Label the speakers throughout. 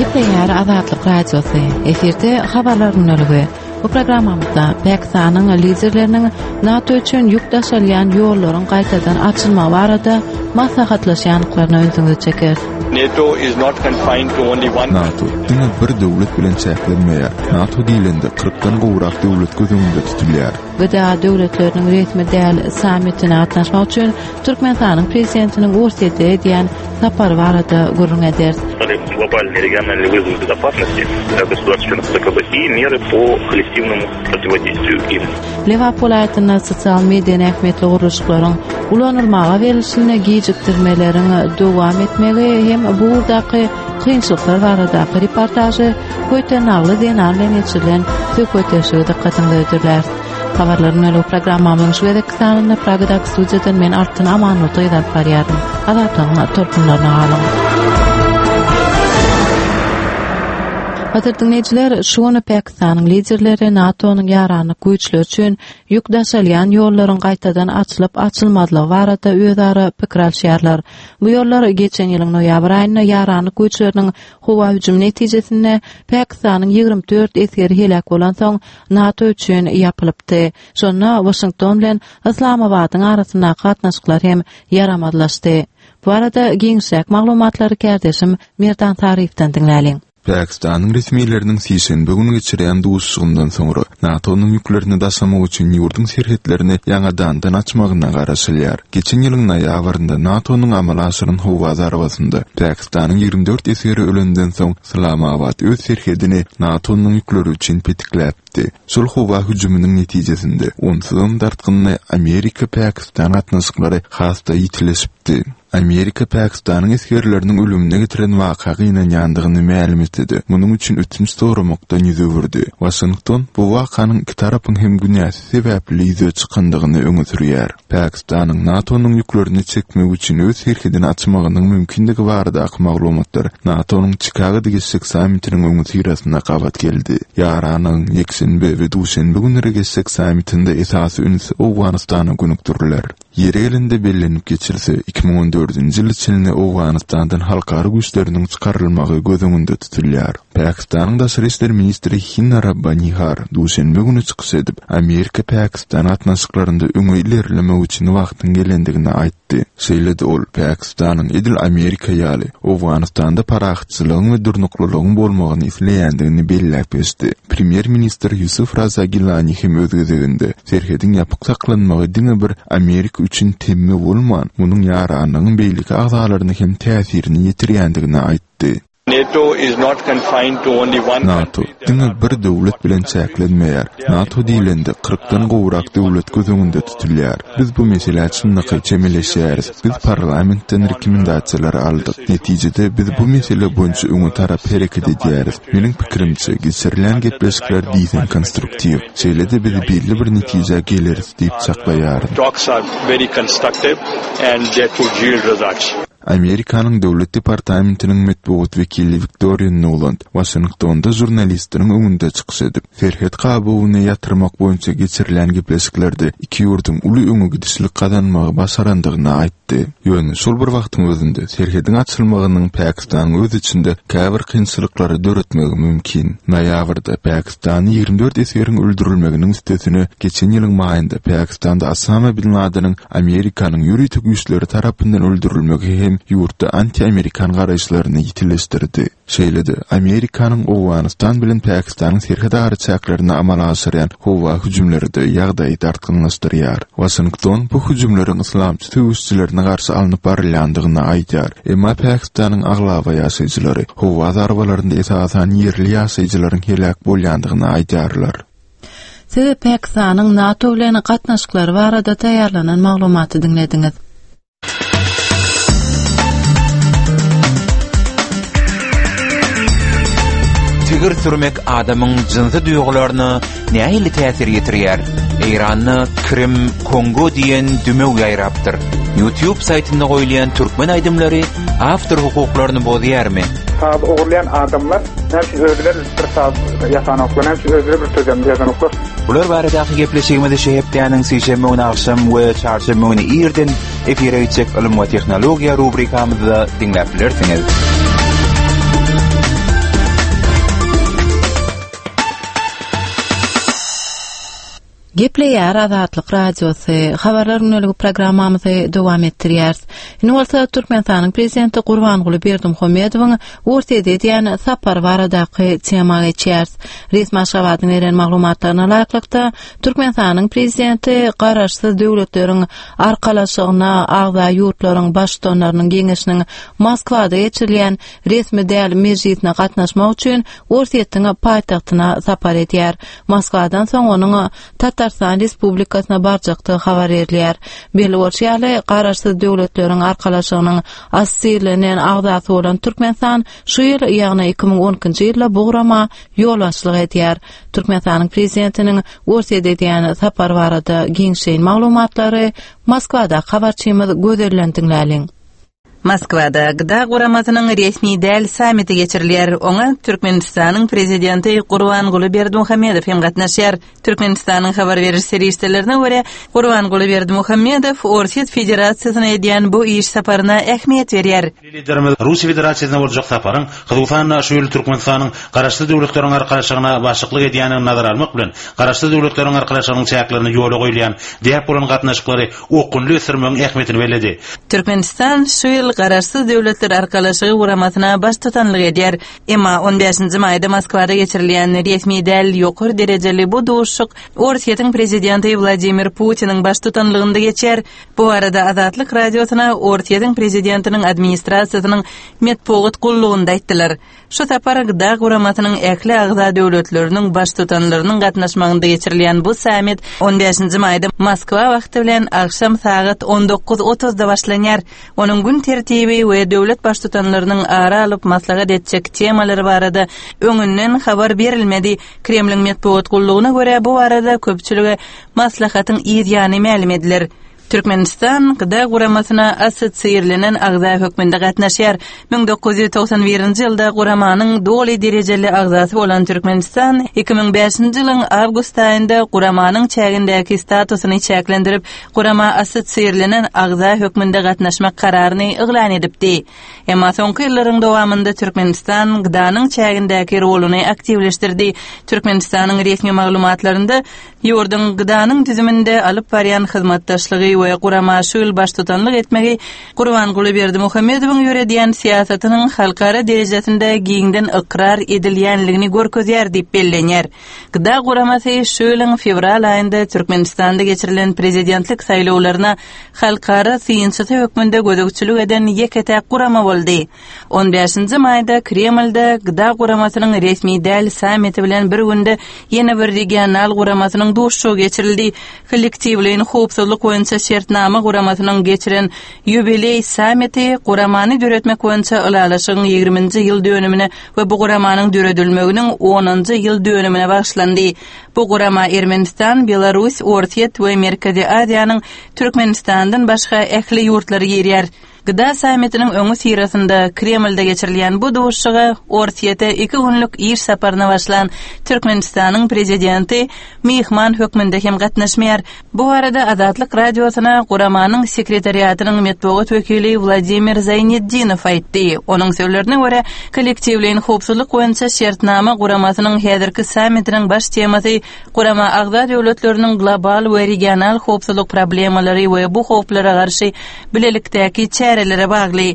Speaker 1: Gepleýär Azatlyk Radiosy. Efirde habarlar gündeligi. Bu programmamyzda Pakistanyň liderleriniň NATO üçin ýük daşalýan ýollaryň gaýtadan açylmagy barada maslahatlaşýandyklaryna ünsüňizi çekeris.
Speaker 2: NATO is not confined to only one
Speaker 3: NATO diňe bir döwlet bilen çäklenmeýär. NATO diýlende kyrkdan gowrak döwlet göz öňünde tutulýar.
Speaker 1: GDA döwletleriniň resmi däl sammitine gatnaşmak üçin Türkmenistanyň Prezidentiniň Orsýete edýän sapary barada gürrüň ederis.
Speaker 4: Globalnyý regionalnyý wyzowy bezopasnosti dla gosudarstw-çlenov ZKB i mery po kollektивному противодействию им.
Speaker 1: Lebap welaýatynda sosial-medeni ähmiýetli gurluşyklaryň ulanylmaga berlişinde gijikdirmeleriň dowam etmegi hem bu ugurdaky kynçylyklar baradaky reportažy Köýtenagly zenan bilen geçirilen söhbetdeşligi dykgatyňyza hödürläris. Habarlaryň bölügi programmamyzyň şu gezekki sanynda Pragadaky studiýadan men Altyn Amanmurdy gyz alyp barýaryn. Azatlygyň tolkunlaryna galyň. Gadyrly diňleýjiler, şu gün Pakistanyň liderleri NATO-nyň ýaranlyk güýçleri üçin ýük daşalýan ýollaryň gaýtadan açylyp-açylmazlygy barada özara pikir alşýarlar. Bu ýollar geçen ýylyň noýabr aýynda ýaranlyk güýçleriniň howa hüjümi netijesinde Pakistanyň 24 esgeri heläk bolansoň, NATO üçin ýapylypdy. Şonda Waşington bilen Yslamabadyň arasyndaky gatnaşyklar hem ýaramazlaşdy. Bu barada giňişräk maglumatlary kärdeşim Merdan Saryýewden diňläliň.
Speaker 3: Pakistanyň resmileriniň sişenbe güni geçirýän duşuşygyndan soňra, NATO-nyň ýüklerini daşamak üçin ýurduň serhetlerini ýaňadandan açmagyna garaşylýar. Geçen ýylyň noýabrynda NATO-nyň amala aşyran howa zarbasynda Pakistanyň 24 esgeri ölenden soň, Yslamabat öz serhedini NATO-nyň ýükleri üçin petikläpdi. Şol howa hüjüminiň netijesinde, onsuzam dartgynly Amerika-Pakistan gatnaşyklary has-da ýitileşipdi. Amerika Pakistanyň esgerleriniň ölümine getiren waka gynanýandygyny mälim etse-de, munuň üçin ötünç soramakdan ýüz öwürdi. Waşington bu wakanyň iki tarapyň hem günäsi sebäpli ýüze çykandygyny öňe sürýär. Pakistanyň NATO-nyň ýüklerini çekmek üçin öz serhedini açmagynyň mümkindigi baradaky maglumatlar NATO-nyň Çikagoda geçjek sammitiniň öňüsyrasynda gabat geldi. Ýaranyň ýekşenbe we duşenbe günleri geçjek sammitinde esasy üns Owganystana gönükdiriler. Ýeri gelende bellenip geçilse, 2014-nji ýyla çenli Owganystandan halkara güýçleriniň çykarylmagy göz öňünde tutulýar. Pakistanyň daşary işler ministri Hina Rabbani Har duşenbe güni çykyş edip, Amerika-Pakistan gatnaşyklarynda öňe ilerlemek üçin wagtyň gelendigini aýtdy. Şeýle-de ol Pakistanyň edil Amerika ýaly, Owganystanda parahatçylygyň we durnuklylygyň bolmagyny isleýändigini belläp geçdi. Premýer-ministr Ýusuf Raza Gilani hem öz gezeginde, serhediň ýapyk saklanmagy diňe bir Amerika üçin temmi bolman, munuň ýaranlygyň beýleki agzalaryna hem täsirini ýetirýändigini aýtdy.
Speaker 2: NATO is not confined to only one
Speaker 3: NATO diňe bir döwlet bilen çäklenmeýär. NATO diýlende, kyrkdan gowrak döwlet göz öňünde tutulýar. Biz bu meselä çynlakaý çemeleşýäris. Biz parlamentden rekomendasiýalary aldyk. Netijede, biz bu mesele boýunça öňe tarap hereket edýäris. Meniň pikirimçe, geçirilýän gepleşikler diýseň konstruktiw. Şeýle-de biz belli bir netijä geleris diýip çaklaýaryn.
Speaker 2: Talks are very constructive and that would yield results.
Speaker 3: Amerikanyň Döwlet departamentiniň metbugat wekili Wiktoriýa Nuland Waşingtonda žurnalistleriň öňünde çykyş edip, serhet gabawyny ýatyrmak boýunça geçirilýän gepleşiklerde iki ýurduň uly öňe gidişlik gazanmagy başarandygyny aýtdy. Ýöne şol bir wagtyň özünde serhediň açylmagynyň Pakistanyň öz içinde käbir kynçylyklary döretmegi mümkin. Noýabrda Pakistanda 24 esgeriň öldürilmeginiň üstesine geçen ýylyň maýynda Pakistanda Osama bin Ladeniň Amerikanyň ýörite güýçleri tarapyndan öldürilmegi hem ýurtda anti-amerikan garaýyşlaryny ýitileşdirdi. Şeýle-de, Amerikanyň Owganystan bilen Pakistanyň serhet araçäklerinde amala aşyrýan howa hüjümleri-de ýagdaýy dartgynlaşdyrýar. Waşington bu hüjümleriň yslamçy söweşijilerine garşy alnyp barylýandygyny aýdýar. Emma Pakistanyň aglaba ýaşaýjylary howa zarbalarynda esasan ýerli ýaşaýjylaryň heläk bolýandygyny aýdýarlar.
Speaker 1: Siz Pakistanyň NATO bilen gatnaşyklary barada taýýarlanan maglumaty diňlediňiz.
Speaker 5: Tigir sürmek adamyň jynsy duýgularyna nähili täsir ýetirýär? Eýranda Krim, Kongo diýen dümew ýaýrapdyr. YouTube saýtynda goýulýan türkmen aýdymlary awtor hukuklaryny bozýarmy?
Speaker 6: Saz ogurlaýan adamlar näme üçin özleri bir saz ýasanoklar, näme üçin özleri bir sözem ýazanoklar?
Speaker 5: Bular baradaky gepleşigimizi şu hepdäniň sişenbe güni agşam we çarşenbe güni irden efire gitjek Ylym we tehnologiýa rubrikamyzda diňläp bilersiňiz.
Speaker 1: Gepleýär Azatlyk Radiosy, Habarlar gündeligi programmamyzy dowam etdirýäris. Indi bolsa Türkmenistanyň Prezidenti Gurbanguly Berdimuhamedowyň Orsýete edýän sapary baradaky tema geçýäris. Resmi Aşgabadyň beren maglumatlaryna laýyklykda, Türkmenistanyň Prezidenti Garaşsyz Döwletleriň Arkalaşygyna agza ýurtlaryň Baştutanlarynyň Geňeşiniň Moskwada geçirilýän resmi däl mejlisine gatnaşmak üçin Orsýetiň paýtagtyna sapar edýär. Moskwadan soň onuň Tatarystan Respublikasyna barjakdygy habar berilýär. Belli bolşy ýaly, Garaşsyz Döwletleriň Arkalaşygynyň assosirlenen agzasy bolan Türkmenistan şu ýyl, ýagny 2012-nji ýylda bu gurama ýolbaşçylyk edýär. Türkmenistanyň Prezidentiniň Orsýete edýän sapary barada giňişleýin maglumatlary Moskwadaky habarçymyz Gözelden diňläliň.
Speaker 7: Moskwada GDA guramasynyň resmi däl sammiti geçirilýär. Oňa Türkmenistanyň Prezidenti Gurbanguly Berdimuhamedow hem gatnaşýar. Türkmenistanyň habar beriş serişdelerine görä, Gurbanguly Berdimuhamedow Orsýet Federasiýasyna edýän bu iş saparyna ähmiýet berýär.
Speaker 8: Milli Liderimiz Russiýa Federasiýasyna boljak saparyň, hususan-da, şu ýyl Türkmenistanyň Garaşsyz Döwletleriň Arkalaşygyna başlyklyk edýändigini nazara almak bilen, Garaşsyz Döwletleriň Arkalaşygynyň çäklerinde ýola goýulýan däp bolan gatnaşyklary okgunly ösdürmegiň ähmiýetini belledi.
Speaker 7: Türkmenistan şu ýyl Garaşsyz Döwletler Arkalaşygy guramasyna baştutanlyk edýär. Emma on bäşinji maýda Moskwada geçirilýän resmi däl ýokary derejeli bu duşuşyk Orsýetiň prezidenti Wladimir Putiniň baştutanlygynda geçýär. Bu barada Azatlyk Radiosyna Orsýetiň prezidentiniň administrasiýasynyň metbugat gullugynda aýtdylar. Şu sapar GDA guramasynyň ähli agza döwletleriniň Baştutanlarynyň gatnaşmagynda geçirilýän bu sammit on bäşinji maýda Moskwa wagty bilen agşam sagat on dokuz otuzda başlanýar. Onuň gün tertibi we döwlet Baştutanlarynyň ara alyp maslahat etjek temalary barada öňünden habar berilmedi. Kremliň metbugat gullugyna görä, bu barada köpçülige maslahatyň yz ýany mälim ediler. Türkmenistan GDA guramasyna assosiirlenen agza hökmünde gatnaşýar. 1991-nji ýylda guramanyň doly derejeli agzasy bolan Türkmenistan 2005-nji ýylyň awgust aýynda guramanyň çägindäki statusyny çäklendirip, gurama assosiirlenen agza hökmünde gatnaşmak kararyny yglan edipdi. Emma soňky ýyllaryň dowamynda Türkmenistan GDA-nyň çägindäki roluny aktiwleşdirdi. Türkmenistanyň resmi maglumatlarynda Ýurduň GDA-nyň düzüminde alyp barýan hyzmatdaşlygy we gurama şu ýyl baştutanlyk etmegi Gurbanguly Berdimuhamedowyň ýöredýän syýasatynyň halkara derejesinde giňden ykrar edilýänligini görkezýär diýip bellenýär. GDA guramasy şu ýylyň fewral aýynda Türkmenistanda geçirilen prezidentlik saýlawlaryna halkara synçysy hökmünde gözegçilik eden ýeke-täk gurama boldy. On bäşinji maýda Kremlde GDA guramasynyň resmi däl sammiti bilen bir günde ýene bir regional guramasynyň duşuşygy geçirildi. Kollektiwleýin howpsuzlyk boýunça şertnama guramasynyň geçiren ýubileý sammiti guramany döretmek boýunça ylalaşygyň ýigriminji ýyl dönümine we bu guramanyň döredilmeginiň onunjy ýyl dönümine bagyşlandy. Bu gurama Ermenistan, Belarus, Orsýet we Merkezi Aziýanyň Türkmenistandan başga ähli ýurtlary girýär. GDA sammitiniň öňüsyrasynda Kremlde geçirilýän bu duşuşyga Orsýete iki günlük iş saparyna başlan Türkmenistanyň prezidenti myhman hökmünde hem gatnaşmaýar. Bu barada Azatlyk Radiosyna guramanyň sekretariatynyň metbugat wekili Wladimir Zaýnetdinow aýtdy. Onuň sözlerine görä, Kollektiwleýin howpsuzlyk boýunça şertnama guramasynyň häzirki sammitiniň baş temasy Gurama agza döwletleriniň global we regional howpsuzlyk problemalary we bu howplara garşy bilelikdäki çärelere bagly.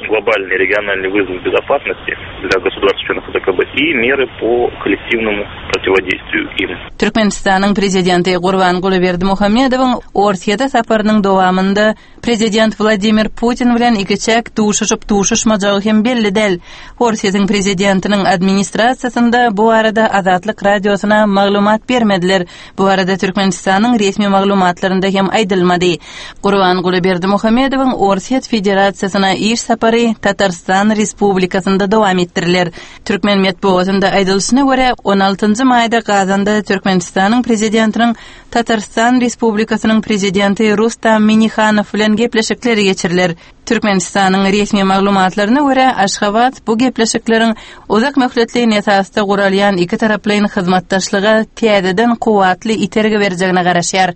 Speaker 4: Globalnyý regionalnyý wyzowy bezopasnosti dla gosudarstw-çlenov ODKB i mery po kollektiwnomu protiwodeýstwiýu im.
Speaker 7: Türkmenistanyň Prezidenti Gurbanguly Berdimuhamedowyň Orsýete saparynyň dowamynda Prezident Wladimir Putin bilen ikiçäk duşuşyp-duşuşmajagy hem belli däl. Orsýetiň prezidentiniň administrasiýasynda bu barada Azatlyk Radiosyna maglumat bermediler. Bu barada Türkmenistanyň resmi maglumatlarynda hem aýdylmady. Gurbanguly Berdimuhamedowyň Orsýet Federasiýasyna iş sapary Tatarystan Respublikasynda dowam etdiriler. Türkmen metbugatynda aýdylyşyna görä, on altynjy maýda gaz. Kazanda Türkmenistanyň Prezidentiniň Tatarystan Respublikasynyň Prezidenti Rustam Minnihanow bilen gepleşikleri geçiriler. Türkmenistanyň resmi maglumatlaryna görä, Aşgabat bu gepleşikleriň uzak möhletleýin esasda guralýan ikitaraplaýyn hyzmatdaşlyga täzeden kuwwatly itergi berjegine garaşýar.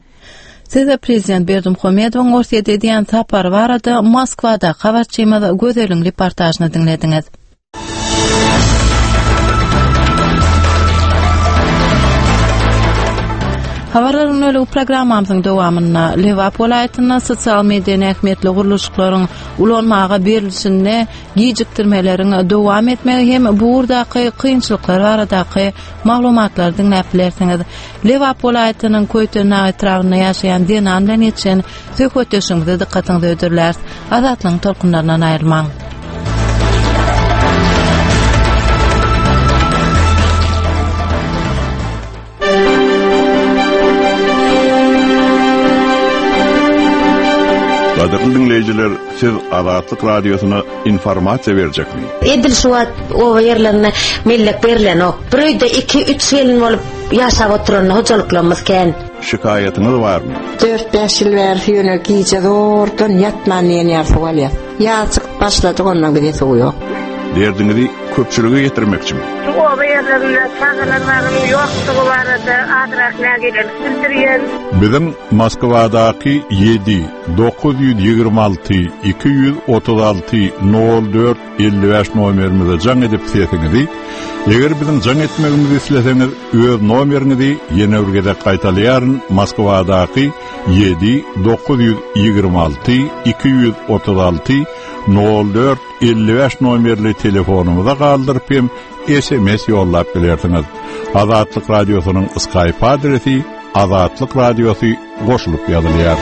Speaker 1: Siz prezident Berdimuhamedowyň Orsýete edýän sapary barada Moskwadaky habarçymyz Gözeliň reportažyny diňlediňiz. Habarlar gündeligi programmamyzyň dowamynda Lebap welaýatynda sosial-medeni ähmiýetli gurluşyklaryň ulanmaga berilişinde gijikdirmeleriň dowam etmegi hem bu ugurdaky kynçylyklar baradaky maglumatlary diňläp bilersiňiz. Lebap welaýatynyň Köýtendag etrabynda ýaşaýan zenan bilen geçen söhbetdeşligimize dykgatyňyzy hödürläris. Azatlygyň tolkunlaryndan aýrylmaň.
Speaker 9: Gadyrly diňleýjiler, siz Azatlyk Radiosyna informasiýa berjekmi?
Speaker 10: Edil şu wagt oba ýerlerinde mellek berlenok. Bir öýde iki, üç gelin bolup ýaşap oturan hojalyklarymyz kän.
Speaker 9: Şikaýatyňyz barmy?
Speaker 11: Dört-bäş ýyl bäri ýöne gije zordan ýatman diýen ýaly suw alýas. Ýaz çykyp başlady ondan bize suw ýok.
Speaker 9: Derdiňizi köpçülige ýetirmekçimi?
Speaker 12: Şu oba ýerlerinde çagalar bagynyň ýokdugy barada azrak nägilelik bildirýän.
Speaker 9: Biziň Moskwadaky ýedi, 926 236 04 55 nomerimize jaň edip sesiňizi, eger biziň jaň etmegimizi isleseňiz, öz nomeriňizi ýene bir gezek gaýtalaýaryn, Moskwadaky 7 926 236 04 55 nomerli telefonymyza galdyryp hem SMS ýollap bilersiňiz. Azatlyk Radiosynyň Skype adresi Azatlyk Radiosy goşulyp ýazylýar.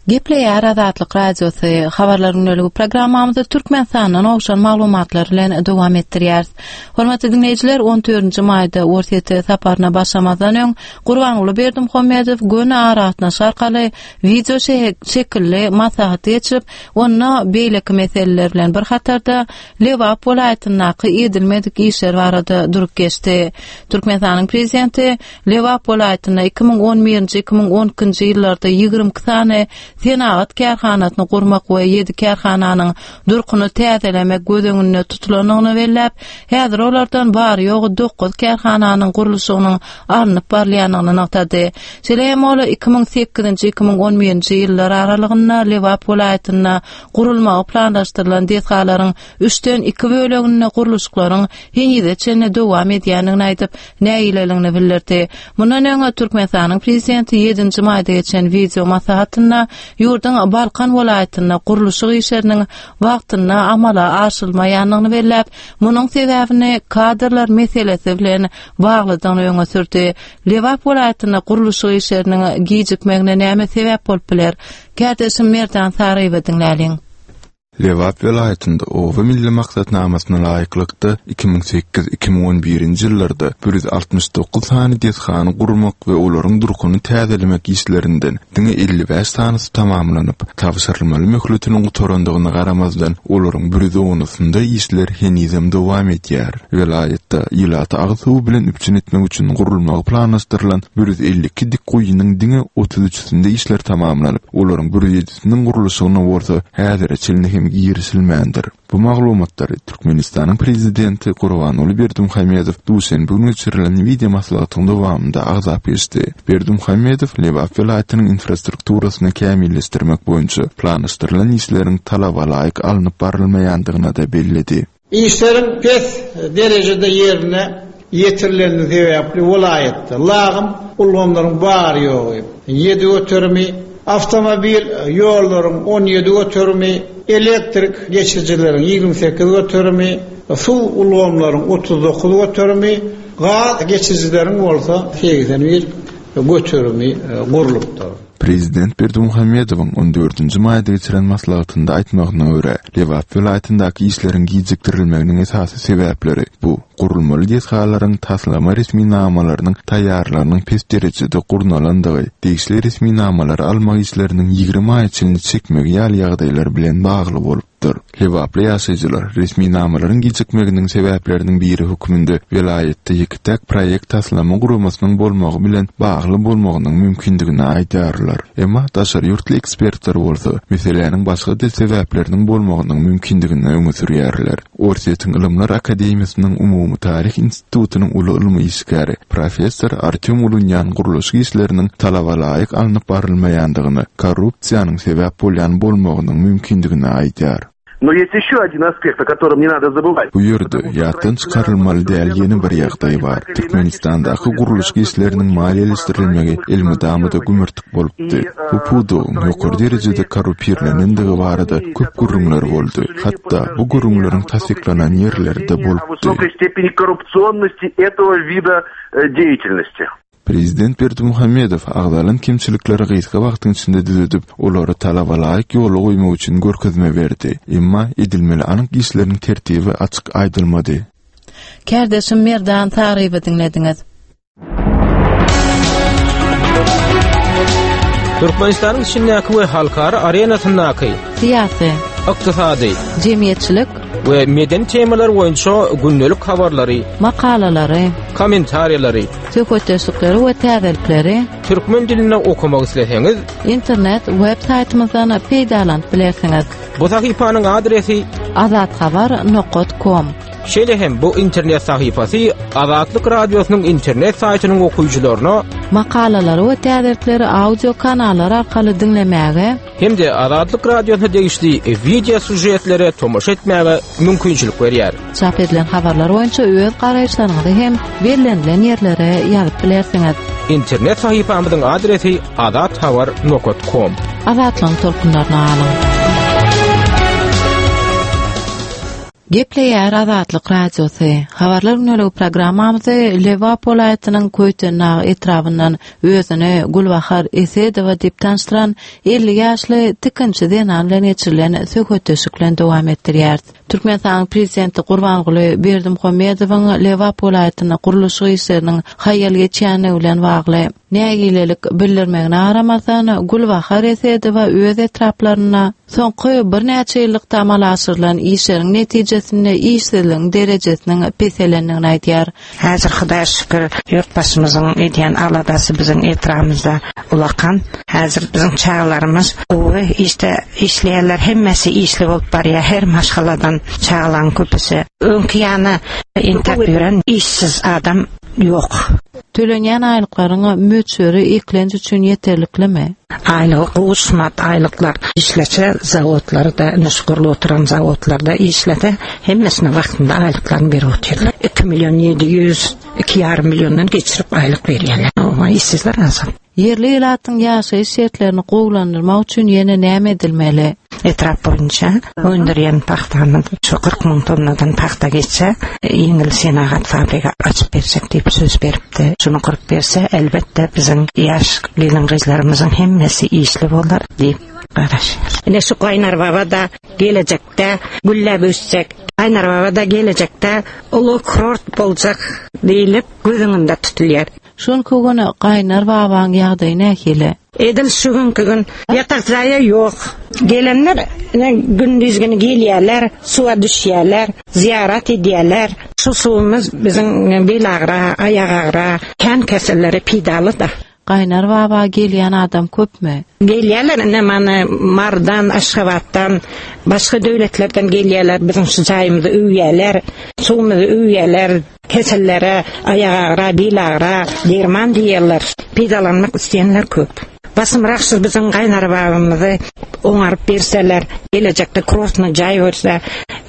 Speaker 1: Gepleýär Azatlyk Radiosy, Habarlar gündeligi programmamyzy Türkmenistandan gowşan maglumatlar bilen dowam etdirýäris. Hormatly diňleýjiler, 14-nji maýda Orsýete saparyna başlamazdan öň Gurbanguly Berdimuhamedow göni aragatnaşyk arkaly wideo şekilli maslahat geçirip, onda beýleki meseleler bilen bir hatarda Lebap welaýatyndaky edilmedik işler barada durup geçdi. Türkmenistanyň Prezidenti Lebap welaýatynda 2011-nji, 2012-nji ýyllarda 22 sany senagat kärhanasyny gurmak we ýedi kärhananyň durkuny täzelemek göz öňünde tutulandygyny belläp, häzir olardan bary-ýogy dokuz kärhananyň gurluşygynyň alnyp barylýandygyny nygtady. Şeýle hem ol 2008-nji, 2011-nji ýyllar aralygynda Lebap welaýatynda gurulmagy planlaşdyrylan desgalaryň üçden iki böleginde gurluşyklaryň henize çenli dowam edýändigini aýdyp, nägileligini bildirdi. Mundan öň Türkmenistanyň Prezidenti ýedinji maýda geçen wideo maslahatynda ýurduň Balkan welaýatynda gurluşyk işleriniň wagtynda amala aşyrylmaýandygyny belläp, munuň sebäbini kadrlar meselesi bilen baglydygyny öňe sürdi. Lebap welaýatynda gurluşyk işleriniň gijikmegine näme sebäp bolup biler? Kärdeşim Merdan Saryýewi diňläliň.
Speaker 3: Lebap welaýatynda Oba milli maksatnamasyna laýyklykda, 2008, 2011-nji ýyllarda 169 sany desgany gurmak we olaryň durkuny täzelemek işlerinden diňe 55 sanysy tamamlanyp, tabşyrylmaly möhletiniň gutarandygyna garamazdan, olaryň bir ýüz onusynda işler henizem dowam edýär. Welaýatda ilaty agyz suwy bilen üpjün etmek üçin gurulmagy planlaşdyrylan 152 dik guýynyň diňe otuz üçüsinde işler tamamlanyp, olaryň bir ýüz ýedisiniň gurluşygyna bolsa häzire çenli hem girişilmändir. Bu maglumatlary Türkmenistanyň Prezidenti Gurbanguly Berdimuhamedow duşenbe güni geçirilen wideo maslahatyň dowamynda agzap geçdi. Berdimuhamedow Lebap welaýatynyň infrastrukturasyny kämilleşdirmek boýunça planlaşdyrylan işleriň talabalaýyk alnyp barylmaýandygyny-da belledi.
Speaker 13: Işleriň pes derejede ýerine ýetirilendigi sebäpli welaýatda lagym ulgamlaryň bary-ýogy ýedi göterimi, awtomobil ýollaryň 17 göterimi, elektrik geçirijileriň 28 göterimi, suw ulgamlaryň 39 göterimi, gaz geçirijileriň bolsa 81 göterimi gurlupdyr.
Speaker 3: Prezident Berdimuhamedowyň on dördünji maýda geçiren maslahatynda aýtmagyna görä, Lebap welaýatyndaky işleriň gijikdirilmeginiň esasy sebäpleri bu gurulmaly desgalaryň taslama resminamalarynyň taýýarlygynyň pes derejede gurnalandygy, degişli resminamalary almak işleriniň 20 aýa çenli çekmegi ýaly ýagdaýlar bilen bagly bolupdyr. bolupdyr. Lebaply ýaşaýjylar resminamalaryň gijikmeginiň sebäpleriniň biri hökmünde welaýatda ýeke-täk proýekt taslama guramasynyň bolmagy bilen bagly bolmagynyň mümkindigini aýdýarlar. Emma daşary ýurtly ekspertler bolsa, meseläniň başga-da sebäpleriniň bolmagynyň mümkindigini öňe sürýärler. Orsýetiň Ylymlar akademiýasynyň Umumy taryh institutynyň uly ylmy işgäri, professor Artýom Ulunýan gurluşyk işleriniň talabalaýyk alnyp barylmaýandygyna korrupsiýanyň sebäp bolýan bolmagynyň mümkindigini aýdýar.
Speaker 14: No ýest ýeşýo odin aspekt, o kotorom ne nado zabywać.
Speaker 3: Bu ýerde ýatdan çykarylmaly däl ýene bir ýagdaý bar. Türkmenistandaky gurluşyk işleriniň maliýeleşdirilmegi elmydama-da gümürtik bolupdy. Bu pudagyň ýokary derejede korrupirlenendigi barada köp gürrüňler boldy. Hatda bu gürrüňleriň tassyklanan ýerleri-de bolupdy. Prezident Berdimuhamedow agzalan kemçilikleri gysga wagtyň içinde düzedip, olary talabalaýyk ýola goýmak üçin görkezme berdi. Emma edilmeli anyk işleriň tertibi açyk aýdylmady.
Speaker 1: Kärdeşim Merdan Saryýewi diňlediňiz.
Speaker 15: Türkmenistanyň içindäki we halkara arenasyndaky
Speaker 1: syýasy,
Speaker 15: ykdysady,
Speaker 1: jemgyýetçilik
Speaker 15: we medeni temalar boýunça gündelik habarlary,
Speaker 1: makalalary,
Speaker 15: kommentariýalary,
Speaker 1: söhbetdeşlikleri we täzelikleri
Speaker 15: türkmen dilinde okamak isleseňiz,
Speaker 1: internet web saýtymyzdan peýdalanyp bilersiňiz.
Speaker 15: Bu sahypanyň adresi
Speaker 1: azathabar nokat kom.
Speaker 15: Şeýle hem bu internet sahypasy Azatlyk Radiosynyň internet saýtynyň okyjylaryna
Speaker 1: makalalary we täzelikleri audio kanallar arkaly diňlemäge
Speaker 15: hem-de Azatlyk Radiosyna degişli wideo sýužetlere tomaşa etmäge mümkinçilik berýär.
Speaker 1: Çap edilen habarlar boýunça öz garaýyşlaryňyzy hem bellenilen ýerlere ýazyp bilersiňiz.
Speaker 15: Internet sahypamyzyň adresi azathabar nokat kom.
Speaker 1: Azatlygyň tolkunlaryna galyň. Gepleýär Azatlyk Radiosy. Habarlar gündeligi programmamyzy Lebap welaýatynyň Köýtendag etrabyndan özüni Gülbahar Esedowa diýip tanyşdyran 50 ýaşly tikinçi zenan bilen geçirilen söhbetdeşlik bilen dowam etdirýäris. Türkmenistanyň Prezidenti Gurbanguly Berdimuhamedowyň Lebap welaýatynda gurluşyk işleriniň haýal geçýändigi bilen bagly nägilelik bildirmegine garamazdan, Gülbahar Esedowa öz etraplarynda Soňky birnäçe ýyllykda amala aşyrylan işleriň netijesinde işsizligiň derejesiniň peselendigini aýdýar.
Speaker 11: Häzir Hudaýa şükür, ýurtbaşymyzyň edýän aladasy biziň etrabymyzda ulakan. Häzir biziň çagalarymyz gowy işde işleýärler, hemmesi işli bolup barýar, her maşgaladan çagalaryň köpüsi. Öňki ýaly entäp ýören işsiz adam ýok.
Speaker 1: Tölenýän aýlyklaryň möçberi eklenç üçin ýeterliklimi?
Speaker 11: Aýlygy gowy şumat aýlyklar. Işlese zawodlarda ine şu gurlup oturan zawodlarda işlese hemmesine wagtynda aýlyklaryny berip otyrlar. Iki million 700, iki ýarym milliondan geçirip aýlyk berýärler. Oba işsizler azal.
Speaker 1: Ýerli ilatyň ýaşaýyş şertlerini gowulandyrmak üçin ýene näme edilmeli?
Speaker 11: Etrap boýunça öndürýän pagtamyz şu 40 müň tonnadan pagta geçse, ýeňil senagat fabrigi açyp berjek diýip söz beripdi. Şuny gurup berse, elbetde biziň ýaş gelin-gyzlarymyzyň hemmesi işli bolar diýip garaşýarys. Ine şu Gaýnarbaba-da gelejekde gülläp ösjek, Gaýnarbaba-da gelejekde uly kurort boljak diýlip göz öňünde tutulýar.
Speaker 1: Şu günki gün Gaýnar babaň ýagdaýy nähili?
Speaker 11: Edil şu günki gün ýatak jaýa ýok. Gelenler ine gündiz güni gelýärler, suwa düşýärler, zyýarat edýärler. Şu suwumyz biziň bel agyra, aýak agyra, kän kesellere peýdaly-da.
Speaker 1: Gaýnar baba gelýän adam köpmi?
Speaker 11: Gelýärler ine mana Marydan, Aşgabatdan, başga döwletlerden gelýärler, biziň şu jaýymyzy öwýärler, suwumyzy öwýärler. Kesellere, aýagagyra, bilagyra derman diýýärler. Peýdalanmak isleýänler köp. Basymrak şu biziň gaýnarbabymyzy oňaryp berseler, gelejekde krosny jaý bolsa,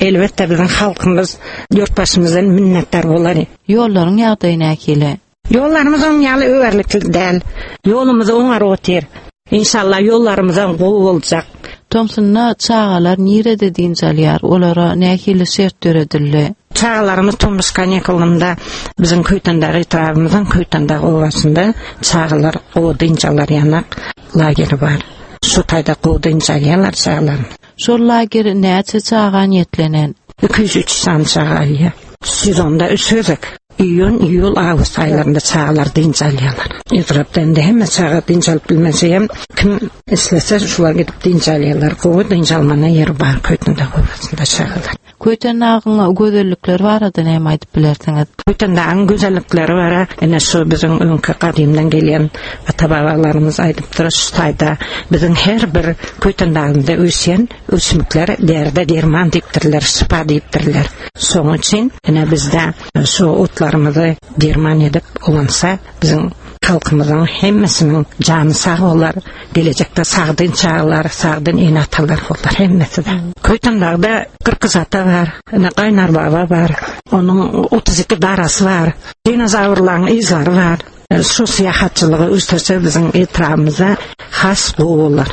Speaker 11: elbetde biziň halkymyz ýurtbaşymyzdan minnetdar bolar.
Speaker 1: Ýollaryň ýagdaýy nähili?
Speaker 11: Ýollarymyz oň ýaly öwerlikli däl. Ýolumyzy oňaryp otyr. Inşallah ýollarymyzam gowy boljak.
Speaker 1: Tomsunda çagalar nirede dynç alýar, olara nähili şert döredildi?
Speaker 11: Çagalarymyz tomus kanikulynda biziň Köýtendag etrabymyzyň Köýtendag obasynda çagalar gowy dynç alar ýanak lageri bar. Şu taýda gowy dynç alýarlar çagalar.
Speaker 1: Şol lager näçe çaga niýetlenen?
Speaker 11: 203 sany çaga alýar. Sezonda üç gezek. Iýun, iýul, awgust aýlarynda çagalar dynç alýarlar. Etrapda indi hemme çaga dynç alyp bilmese hem kim islese şular gidip dynç alýarlar. Gowy dynç almana ýeri bar Köýtendag obasynda çagalar.
Speaker 1: Köýtendagyň gözellikleri barada näme aýdyp bilersiňiz?
Speaker 11: Köýtendagyň gözellikleri bara ine şu biziň öňki gadymdan gelýän ata-babalarymyz aýdypdyr, şu taýda biziň her bir Köýtendagynda ösýän ösümlikler derde derman diýipdirler, şypa diýipdirler. Şonuň üçin ine bizde şu otlarymyzy derman edip ulansa, biziň halkymyzyň hemmesiniň jany sag bolar, gelejekde sagdyn çagalar, sagdyn ene-atalar bolar hemmesi-de. Köýtendagda Kyrkyzata bar, ine Gaýnar baba bar, onuň 32 darasy bar, dinozawrlaryň yzlary bar. Şu syýahatçylygy ösdürse biziň etrabymyzda has gowy bolar.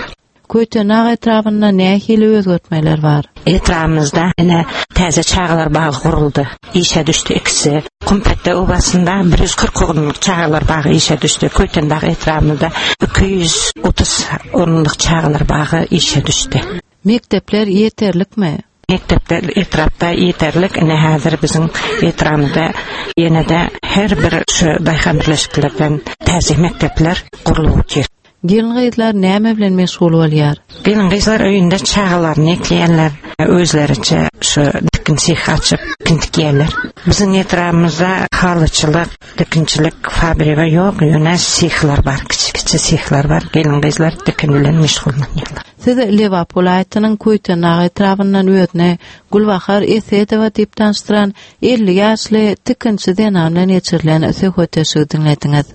Speaker 1: Köýtendag etrabynda nähili özgertmeler bar?
Speaker 11: Etrabymyzda ine täze çagalar bagy guruldy. Işe düşdi ikisi. Kumpetde obasynda 140 orunlyk çagalar bagy işe düşdi. Köýtendag etrabymyzda 230 orunlyk çagalar bagy işe düşdi.
Speaker 1: Mekdepler ýeterlikmi?
Speaker 11: Mekdepler etrapda ýeterlik. Ine häzir biziň etrabymyzda ýene-de her bir şu daýhan birleşiklerden täze mekdepler gurlup otyr.
Speaker 1: Gelin-gyzlar näme bilen meşgul bolýar?
Speaker 11: Gelin-gyzlar öýünde çagalaryny ekleýärler, özleriçe şu tikin seh açyp tikin tikýärler. Biziň etrabymyzda halyçylyk, tikinçilik fabrigi ýok, ýöne sehler bar, kiçi-kiçi sehler bar, gelin-gyzlar tikin bilen meşgullanýarlar.
Speaker 1: Siz Lebap welaýatynyň Köýtendag etrabyndan özüni Gülbahar Esedowa diýip tanyşdyran 50 ýaşly tikinçi zenan bilen geçirilen söhbetdeşligi diňlediňiz.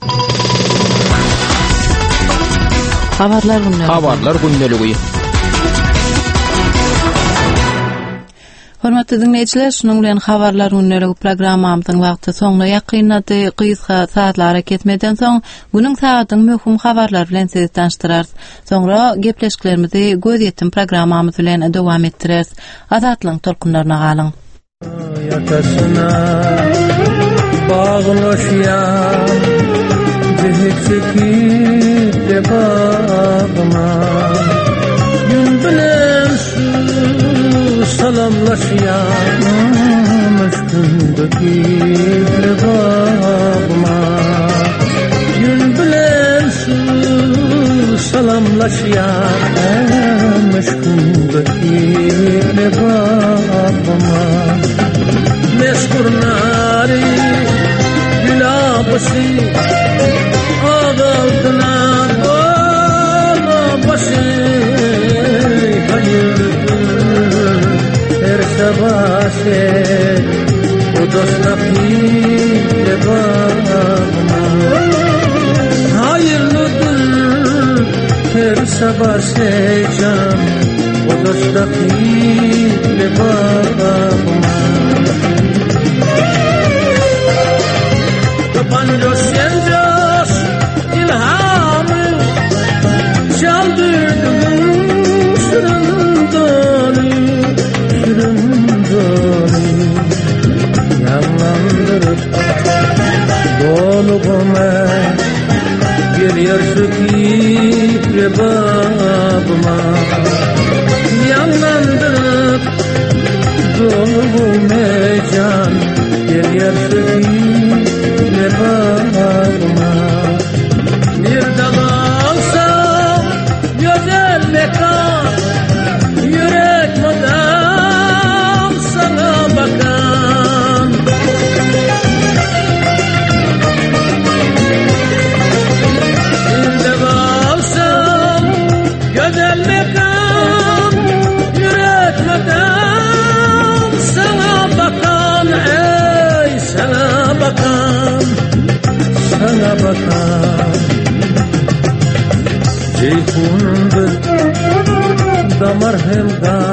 Speaker 1: Habarlar gündeligi.
Speaker 15: Habarlar gündeligi.
Speaker 1: Hormatly diňleýjiler, şunuň bilen Habarlar gündeligi programmamyzyň wagty soňuna ýakynlady. Gysga sazly arakesmeden soň, günüň sagadyň möhüm habarlary bilen sizi tanyşdyrarys. Soňra gepleşiklerimizi Gözýetim programmamyz bilen dowam etdireris. Azatlygyň tolkunlaryna galyň.
Speaker 16: Ýakasyna baglaşýan Jihit çekip lebabyma Gün bilen şu salamlaşýan Müşkün döküp lebabyma Gün bilen şu salamlaşýan Müşkün döküp lebabyma Meşhur nary gülabysy Agaldına dola başy Hayırlıdır her sabah O dostla babama Hayırlıdır her sabah can O dostla babama Tapanca sen ilhamı Çaldırdın sırından Sırından Yanlandırıp Doluğuma Geliyor şu kibre babıma Yanlandırıp Doluğuma can Geliyor şu kibre babıma Bir dal alsam Güzel mekan Yürek madam sana bakan Bir de alsam güzel mekan Yürek madam sana bakan Ey sana bakan Sana bakan Ceyhundur damar hem gan.